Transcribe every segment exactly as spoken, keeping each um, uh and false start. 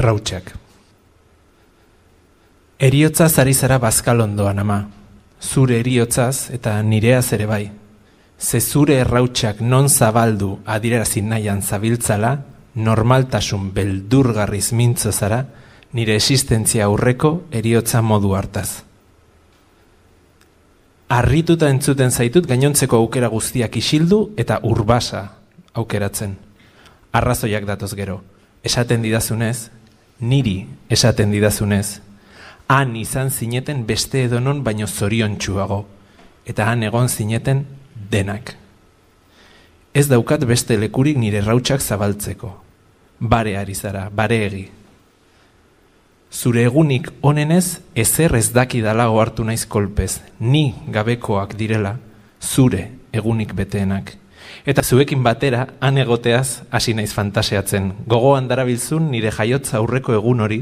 Errautsak. Eriotzaz ari zara bazkal ondoan, ama. Zure eriotzaz eta nireaz ere bai. Ze zure errautsak non zabaldu adierazi nahian zabiltzala, normaltasun beldurgarriz mintzo zara, nire existentzia aurreko eriotza modu hartaz. Arrituta entzuten zaitut gainontzeko aukera guztiak isildu eta urbasa aukeratzen. Arrazoiak datoz gero. Esaten didazunez, niri esaten didazunez, han izan zineten beste edonon baino zoriontsuago, eta han egon zineten denak. Ez daukat beste lekurik nire errautsak zabaltzeko. Bare ari zara, bare egi. Zure egunik onenez ezer ez dakidala ohartu naiz kolpez, ni gabekoak direla, zure egunik beteenak. Eta zuekin batera, han egoteaz hasi naiz fantaseatzen, gogoan darabilzun nire jaiotza aurreko egun hori,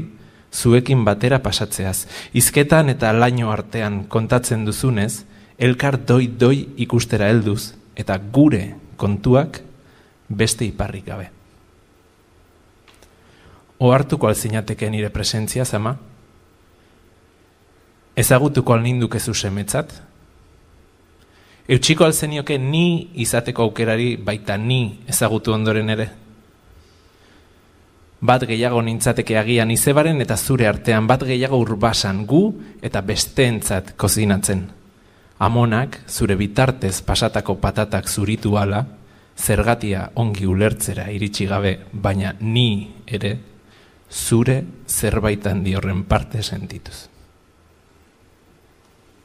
zuekin batera pasatzeaz. Hizketan eta laino artean kontatzen duzunez, elkar doi-doi ikustera helduz, eta gure kontuak beste iparrik gabe. Ohartuko alzinateke nire presentzia, ama? Ezagutuko alninduke zu semetzat? Eutxiko alzenioke ni izateko aukerari baita ni ezagutu ondoren ere? Bat gehiago nintzateke agian izebaren eta zure artean, bat gehiago urbasan gu eta besteentzat kozinatzen. Amonak zure bitartez pasatako patatak zuritu ala, zergatia ongi ulertzera iritsi gabe, baina ni ere zure zerbaitan diorren parte sentituz.